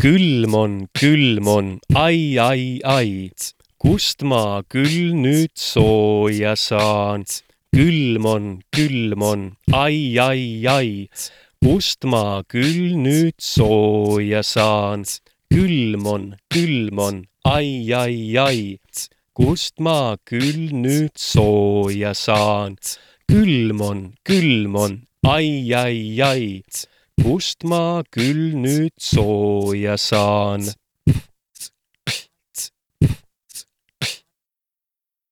külm on, ai, kust ma küll nüüd sooja saan. Külm on, ai, kust ma küll nüüd sooja saan. Külm on, ai, kust ma küll nüüd sooja saan. Külm on, ai, kust ma küll nüüd sooja saan.